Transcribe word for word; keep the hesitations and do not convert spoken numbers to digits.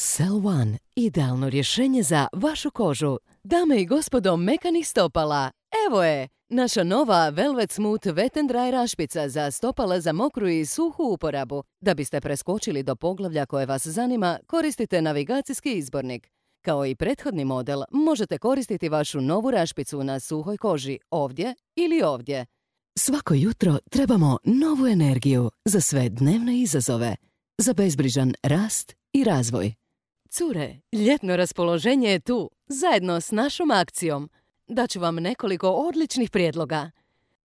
Cell One, idealno rješenje za vašu kožu. Dame i gospodo mekanih stopala, evo je! Naša nova Velvet Smooth Wet and Dry rašpica za stopala za mokru i suhu uporabu. Da biste preskočili do poglavlja koje vas zanima, koristite navigacijski izbornik. Kao i prethodni model, možete koristiti vašu novu rašpicu na suhoj koži ovdje ili ovdje. Svako jutro trebamo novu energiju za sve dnevne izazove, za bezbrižan rast i razvoj. Cure, ljetno raspoloženje je tu, zajedno s našom akcijom. Daću vam nekoliko odličnih prijedloga.